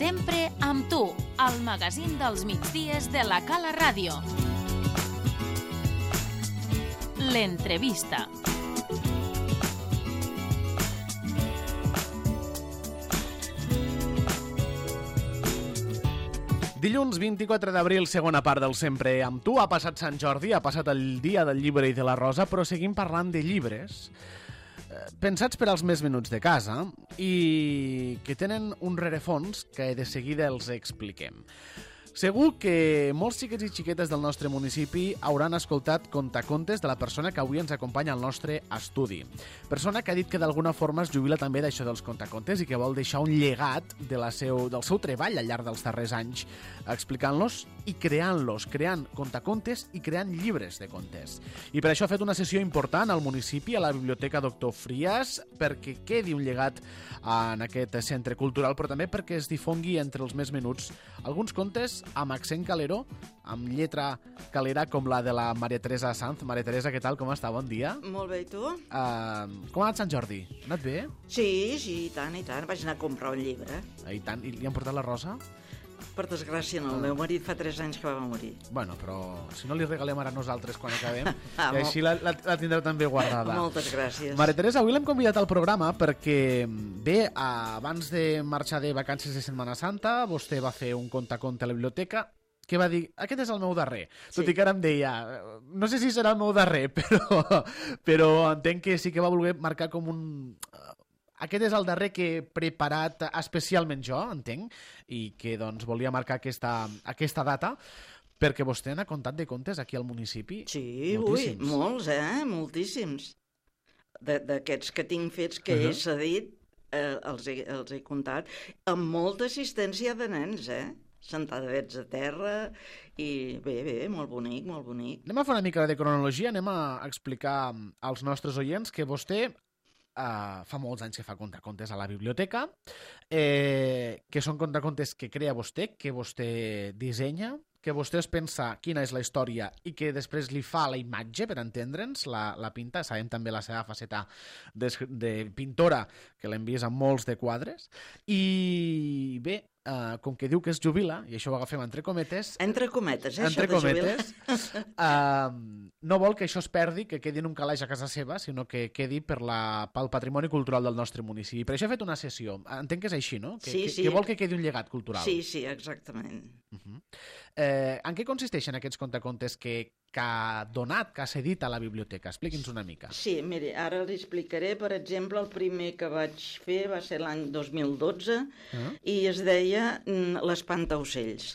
Sempre amb tu, al magazín dels migdies de la Cala Ràdio. L'entrevista. Dilluns 24 d'abril, segona part del Sempre amb tu. Ha passat Sant Jordi, ha passat el dia del llibre i de la rosa, però seguim parlant de llibres pensats per als més menuts de casa i que tenen un rerefons que de seguida els expliquem. Segur que molts xiquets i xiquetes del nostre municipi hauran escoltat contacontes de la persona que avui ens acompanya al nostre estudi. Persona que ha dit que d'alguna forma es jubila també d'això dels contacontes i que vol deixar un llegat del seu treball al llarg dels darrers anys, explicant-los i creant contacontes i creant llibres de contes. I per això ha fet una sessió important al municipi, a la Biblioteca Doctor Frias, perquè quedi un llegat en aquest centre cultural, però també perquè es difongui entre els més menuts alguns contes amb accent caleró, amb lletra calera com la de la Maria Teresa Sanz. Maria Teresa, què tal? Com està? Bon dia. Molt bé, i tu? Com ha anat Sant Jordi? Ha anat bé? Sí, i tant. Vaig anar a comprar un llibre. I tant. I li han portat la rosa? Per desgràcia, no. El meu marit fa 3 anys que va morir. Bueno, però si no li regalem ara a nosaltres quan acabem, i així la tindreu també guardada. Moltes gràcies. Maria Teresa, avui l'hem convidat al programa perquè, bé, abans de marxar de vacances de Setmana Santa, vostè va fer un contaconte a la biblioteca que va dir, aquest és el meu darrer. Sí. Tot i que ara em deia, no sé si serà el meu darrer, però entenc que sí que va voler marcar com un... Aquest és el darrer que he preparat especialment jo, entenc, i que doncs volia marcar aquesta data, perquè vostè n'ha contat de contes aquí al municipi? Sí, moltíssims. Molts, moltíssims. D'aquests que tinc fets que he cedit, els he contat, amb molta assistència de nens, sentadets a terra, i bé, molt bonic, molt bonic. Anem a fer una mica de cronologia, anem a explicar als nostres oients que vostè fa molts anys que fa contacontes a la biblioteca, que són contacontes que crea vostè, que vostè dissenya, que vostè es pensa quina és la història i que després li fa la imatge, per entendre'ns, la pinta. Sabem també la seva faceta de pintora, que l'hem vist en molts de quadres. I bé, com que diu que es jubila, i això ho agafem entre cometes... Entre cometes, entre cometes, no vol que això es perdi, que quedi en un calaix a casa seva, sinó que quedi pel patrimoni cultural del nostre municipi. Per això ha fet una sessió. Entenc que és així, no? Sí. Que vol que quedi un llegat cultural. Sí, exactament. En què consisteixen aquests contacontes que ha donat, que ha cedit a la biblioteca? Expliqui'ns una mica. Sí, miri, ara li explicaré. Per exemple, el primer que vaig fer va ser l'any 2012 i es deia L'Espantaocells.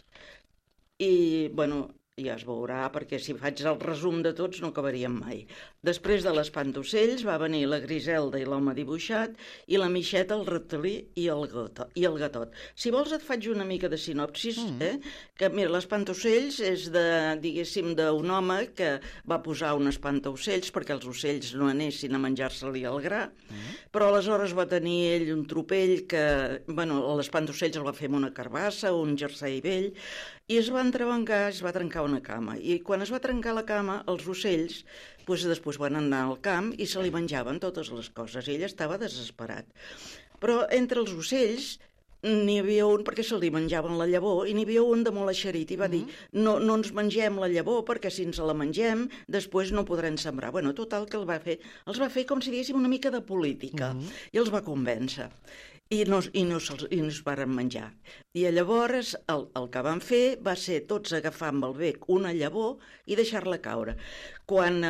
I, bueno, ja es veurà, perquè si faig el resum de tots no acabaríem mai. Després de l'Espantaocells va venir la Griselda i l'home dibuixat i la Mixeta, el reptilí i el gatot. Si vols et faig una mica de sinopsis, que mira, l'Espantaocells és diguéssim, d'un home que va posar un espantaocells perquè els ocells no anessin a menjar-se-li el gra, però aleshores va tenir ell un tropell que, bueno, l'espantaocells el va fer amb una carbassa, un jersei vell, i es va entrebancar, es va trencar una cama. I quan es va trencar la cama, els ocells després van anar al camp i se li menjaven totes les coses. I ell estava desesperat. Però entre els ocells n'hi havia un, perquè se li menjaven la llavor, i n'hi havia un de molt eixerit, i va dir, no ens mengem la llavor, perquè si ens la mengem, després no podrem sembrar. Bueno, total, que els va fer com si diguéssim una mica de política, i els va convèncer. I no es varen menjar. I llavors el que van fer va ser tots agafar amb el bec una llavor i deixar-la caure. Quan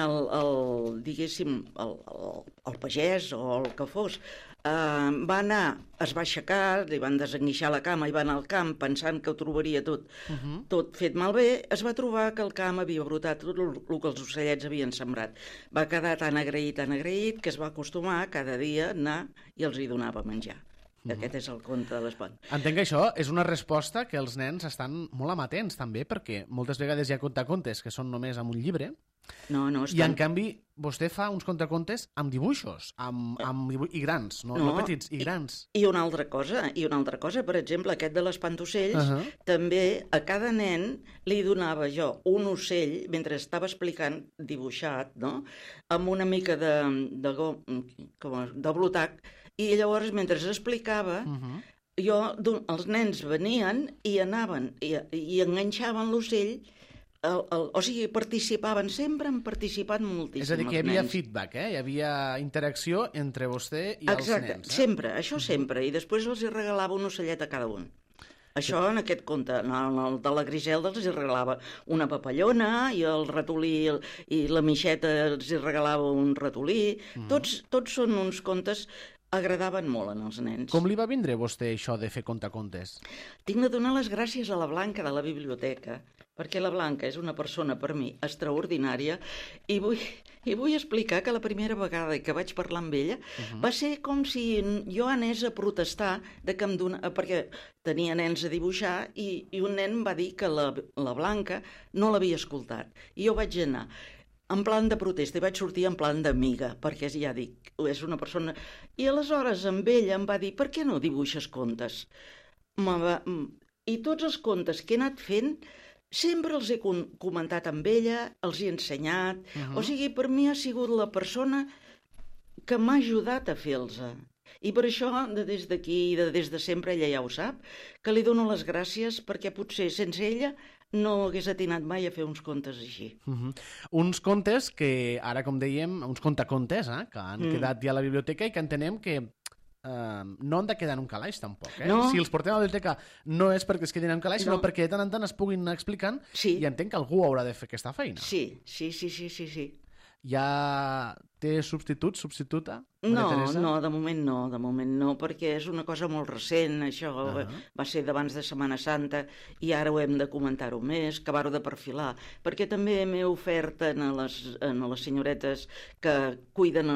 diguéssim, el pagès o el que fos va anar, es va aixecar, li van desenguixar la cama i va anar al camp pensant que ho trobaria tot fet malbé, es va trobar que al camp havia brotat tot el que els ocellets havien sembrat. Va quedar tan agraït, que es va acostumar a cada dia anar i els hi donava menjar. Aquest és el conte de l'espant. Entenc que això és una resposta que els nens estan molt amatents també, perquè moltes vegades hi ha contacontes que són només amb un llibre, i en canvi vostè fa uns contacontes amb dibuixos, i grans, no petits, i grans. I una altra cosa, per exemple, aquest de l'espantaocells, també a cada nen li donava jo un ocell, mentre estava explicant dibuixat, no?, amb una mica de blotac, i llavors, mentre explicava, els nens venien i anaven i enganxaven l'ocell, o sigui, participaven, sempre han participat moltíssim els nens. És a dir, que hi havia feedback, hi havia interacció entre vostè i els nens. Exacte, sempre, això sempre, i després els hi regalava un ocellet a cada un. Això en aquest conte, en el de la Griselda els hi regalava una papallona, i el ratolí i la Mixeta els hi regalava un ratolí. Tots són uns contes agradaven molt als nens. Com li va vindre a vostè això de fer contacontes? Tinc de donar les gràcies a la Blanca de la biblioteca, perquè la Blanca és una persona per mi extraordinària, i vull explicar que la primera vegada que vaig parlar amb ella va ser com si jo anés a protestar perquè tenia nens a dibuixar i un nen va dir que la Blanca no l'havia escoltat. I jo vaig anar en plan de protesta i vaig sortir en plan d'amiga, perquè ja dic, és una persona... I aleshores amb ella em va dir, per què no dibuixes contes? I tots els contes que he anat fent sempre els he comentat amb ella, els he ensenyat, o sigui, per mi ha sigut la persona que m'ha ajudat a fer-los. I per això, des d'aquí, des de sempre, ella ja ho sap, que li dono les gràcies perquè potser sense ella no hagués atinat mai a fer uns contes així. Uns contes que, ara com dèiem, uns contacontes, que han quedat ja a la biblioteca i que entenem que no han de quedar en un calaix, tampoc. No. Si els portem a la biblioteca no és perquè es quedin en un calaix, sinó perquè de tant en tant es puguin anar explicant, i entenc que algú haurà de fer aquesta feina. Sí. Ja té substituta? No, de moment no, perquè és una cosa molt recent, això va ser d'abans de Setmana Santa i ara ho hem de comentar-ho més, acabar-ho de perfilar, perquè també m'he ofert a les senyoretes que cuiden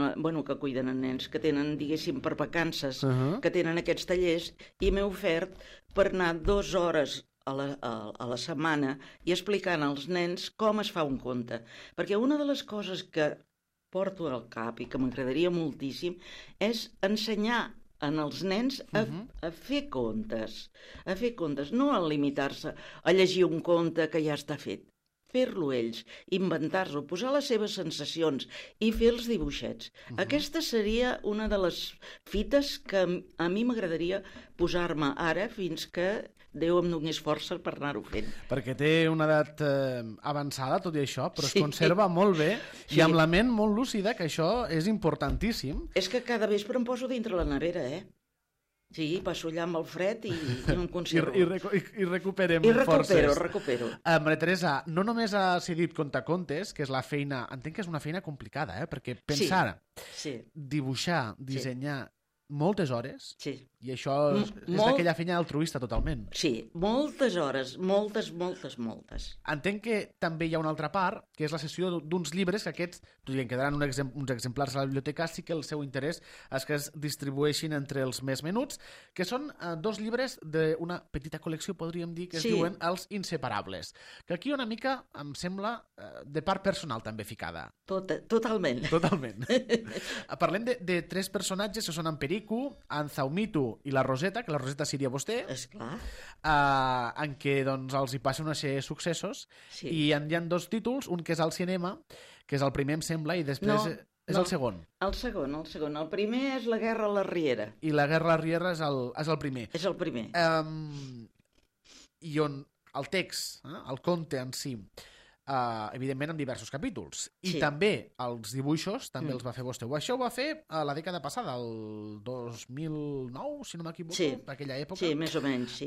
nens, que tenen, diguéssim, per vacances, que tenen aquests tallers, i m'he ofert per anar 2 hores a la setmana i explicant als nens com es fa un conte. Perquè una de les coses que porto al cap i que m'agradaria moltíssim és ensenyar als nens a fer contes, no a limitar-se a llegir un conte que ja està fet. Fer-lo ells, inventar-lo, posar les seves sensacions i fer els dibuixets. Aquesta seria una de les fites que a mi m'agradaria posar-me ara fins que Déu em donés força per anar-ho fent. Perquè té una edat avançada, tot i això, però es conserva molt bé i amb la ment molt lúcida, que això és importantíssim. És que cada vespre em poso dintre la nevera, Sí, passo allà amb el fred i no em conservo. I recuperem forces. Recupero. Maria Teresa, no només ha cedit contacontes, que és la feina... Entenc que és una feina complicada, perquè pensar, dibuixar, dissenyar moltes hores, i això és d'aquella feina altruista totalment. Sí, moltes hores, moltes. Entenc que també hi ha una altra part, que és la cessió d'uns llibres, que aquests, tot i que quedaran uns exemplars a la biblioteca, sí que el seu interès és que es distribueixin entre els més menuts, que són 2 llibres d'una petita col·lecció, podríem dir, que es diuen Els Inseparables, que aquí una mica, em sembla, de part personal també ficada. Totalment. Parlem de 3 personatges que són en Perico, en Zaumito i la Roseta, que la Roseta seria vostè, esclar, en què doncs, els hi passen una sèrie de successos, i hi ha 2 títols, un que és al cinema, que és el primer, em sembla, i després és el segon. El segon. El primer és La guerra a la Riera. I La guerra a la Riera és el primer. És el primer. I on el text, el conte en si, evidentment en diversos capítols. I també els dibuixos, també els va fer vostè. Això ho va fer a la dècada passada, el 2009, si no m'equivoco, d'aquella època. Sí, més o menys,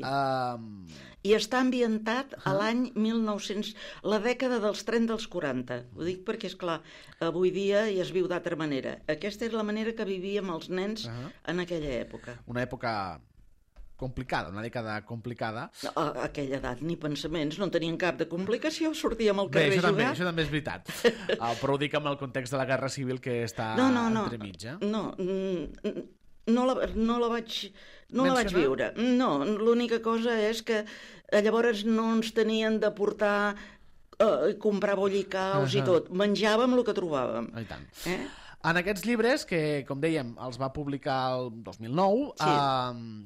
I està ambientat a l'any 1900, la dècada dels 30 als 40. Ho dic perquè, esclar, avui dia ja es viu d'altra manera. Aquesta és la manera que vivíem els nens en aquella època. Una època complicada, una dècada complicada. A aquella edat ni pensaments, no tenien cap de complicació, sortíem al carrer a jugar. Això també és veritat. Però ho dic amb el context de la Guerra Civil que està entremig. No la vaig viure. No, l'única cosa és que llavors no ens tenien de portar comprar bollicaus i tot. Menjàvem el que trobàvem. I tant. En aquests llibres, que, com dèiem, els va publicar el 2009,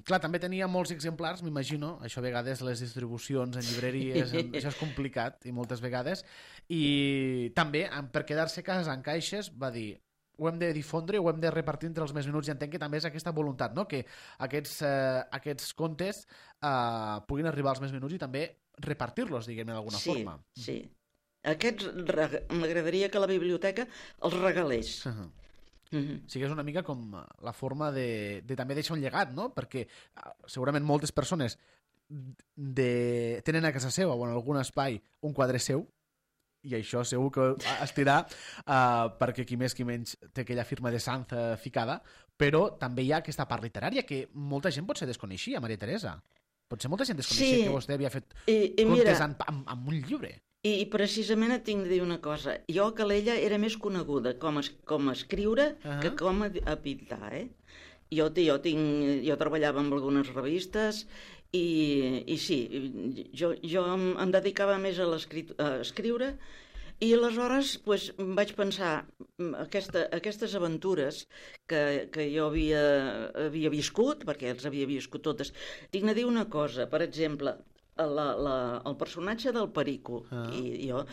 clar, també tenia molts exemplars, m'imagino, això a vegades les distribucions en llibreries, això és complicat, i moltes vegades, i també, per quedar-se a casa en caixes, va dir, ho hem de difondre, ho hem de repartir entre els més menuts, i entenc que també és aquesta voluntat, no? Que aquests contes puguin arribar als més menuts i també repartir-los, diguem-ne, d'alguna forma. Sí. Aquests m'agradaria que la biblioteca els regalés. Sí que és una mica com la forma de també deixar un llegat, no? Perquè segurament moltes persones tenen a casa seva o en algun espai un quadre seu, i això segur que es dirà perquè qui més qui menys té aquella firma de Sanz ficada, però també hi ha aquesta part literària que molta gent potser desconeixia, Maria Teresa. Potser molta gent desconeixia que vostè havia fet contes amb un llibre. I precisament et tinc de dir una cosa. Jo, Calella, era més coneguda com a escriure que com a pintar, Jo treballava en algunes revistes i sí, jo em dedicava més a escriure, i aleshores vaig pensar aquestes aventures que jo havia viscut, perquè els havia viscut totes. Tinc de dir una cosa, per exemple, el personatge del Perico, i jo,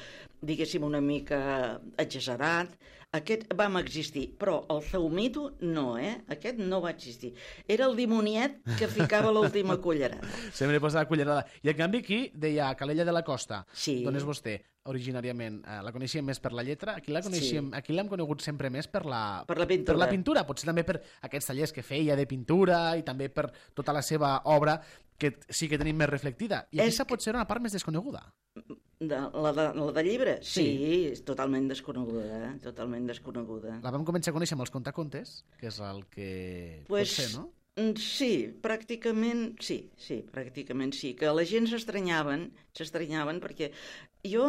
diguéssim, una mica exagerat, aquest vam existir, però el Zaumito no, aquest no va existir. Era el dimoniet que ficava l'última cullerada. Sempre posava cullerada. I en canvi aquí deia Calella de la Costa, d'on és vostè originàriament? La coneixíem més per la lletra, aquí l'hem conegut sempre més per la pintura, potser també per aquests tallers que feia de pintura i també per tota la seva obra, que sí que tenim més reflectida. I aquesta pot ser una part més desconeguda. La de llibre? Sí, és totalment desconeguda, totalment desconeguda. La vam començar a conèixer amb els contacontes, que és el que pot ser, no? Sí, pràcticament sí, que la gent s'estranyaven perquè jo,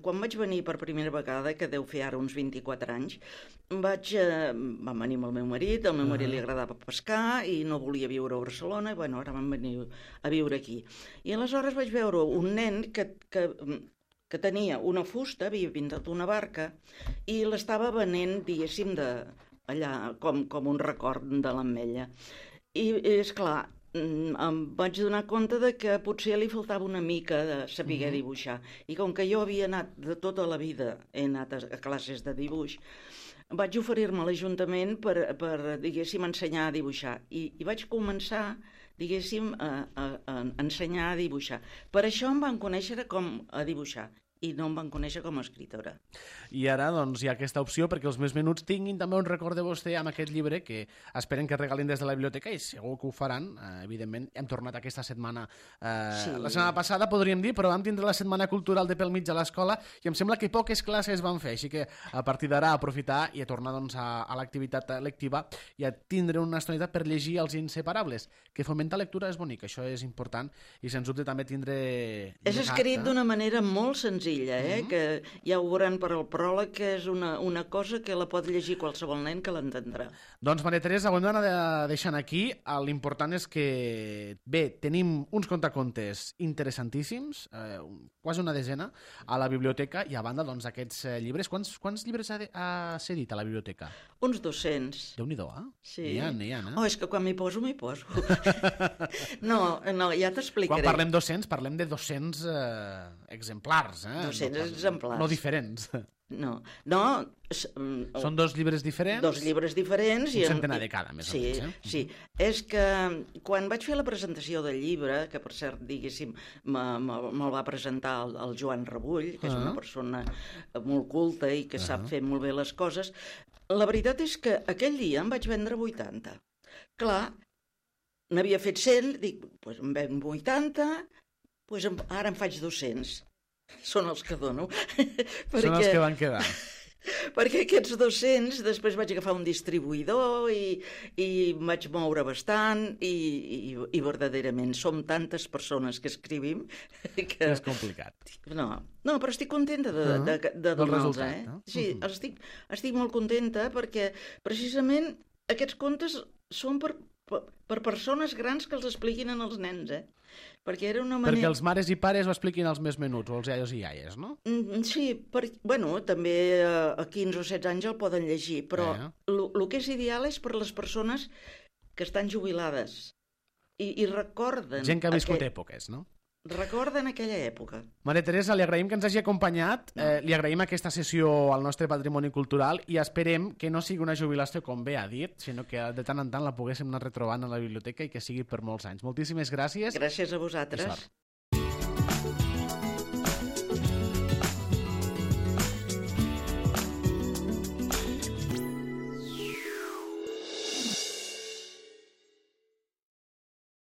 quan vaig venir per primera vegada, que deu fer ara uns 24 anys, vam venir amb el meu marit, al meu marit li agradava pescar i no volia viure a Barcelona, i ara vam venir a viure aquí. I aleshores vaig veure un nen que tenia una fusta, havia pintat una barca, i l'estava venent, diguéssim, allà com un record de l'Ametlla. I, esclar, em vaig donar compte de que potser li faltava una mica de saber dibuixar. I com que jo havia anat de tota la vida, he anat a classes de dibuix, vaig oferir-me a l'Ajuntament per diguéssim, ensenyar a dibuixar. I vaig començar, diguéssim, a ensenyar a dibuixar. Per això em van conèixer com a dibuixar, i no em van conèixer com a escriptora. I ara doncs hi ha aquesta opció perquè els més menuts tinguin també un record de vostè amb aquest llibre que esperen que regalin des de la biblioteca, i segur que ho faran, evidentment. Hem tornat aquesta setmana, la setmana passada podríem dir, però vam tindre la Setmana Cultural de pel mig a l'escola i em sembla que poques classes van fer, així que a partir d'ara aprofitar i a tornar doncs, a l'activitat lectiva i a tindre una estonitat per llegir Els Inseparables, que fomentar lectura és bonic, això és important, i sens dubte també tindre... És escrit d'una manera molt senzilla, que ja ho veurem per al pròleg, que és una cosa que la pot llegir qualsevol nen que l'entendrà. Doncs, Maria Teresa, ho hem d'anar deixant aquí. L'important és que, bé, tenim uns contacontes interessantíssims, quasi una desena, a la biblioteca, i a banda, doncs, aquests llibres. Quants llibres ha cedit a la biblioteca? Uns 200. Déu-n'hi-do, Sí. N'hi ha. Oh, és que quan m'hi poso, m'hi poso. No, ja t'explicaré. Quan parlem 200, parlem de 200 exemplars, 200 exemplars. No diferents. No. Són dos llibres diferents? Dos llibres diferents. Un centenar de cada, més o menys. Sí. És que quan vaig fer la presentació del llibre, que per cert, diguéssim, me'l va presentar el Joan Rebull, que és una persona molt culta i que sap fer molt bé les coses, la veritat és que aquell dia em vaig vendre 80. Clar, n'havia fet 100, dic, doncs em ven 80, doncs ara em faig 200. Són els que dono. Són els que van quedar. Perquè aquests 200 després vaig agafar un distribuïdor i vaig moure bastant i verdaderament som tantes persones que escrivim que... És complicat. No, però estic contenta de donar-los. Sí, estic molt contenta perquè precisament aquests contes són per persones grans que els expliquin als nens, perquè era una manera... Perquè els mares i pares ho expliquin als més menuts, o als iaios i iaies, no? Sí, també a 15 o 16 anys el poden llegir, però el que és ideal és per les persones que estan jubilades i recorden... Gent que ha viscut èpoques, no? recorden aquella època. Maria Teresa, li agraïm que ens hagi acompanyat, li agraïm aquesta sessió al nostre patrimoni cultural i esperem que no sigui una jubilació, com bé ha dit, sinó que de tant en tant la poguéssim anar retrobant a la biblioteca i que sigui per molts anys. Moltíssimes gràcies. Gràcies a vosaltres.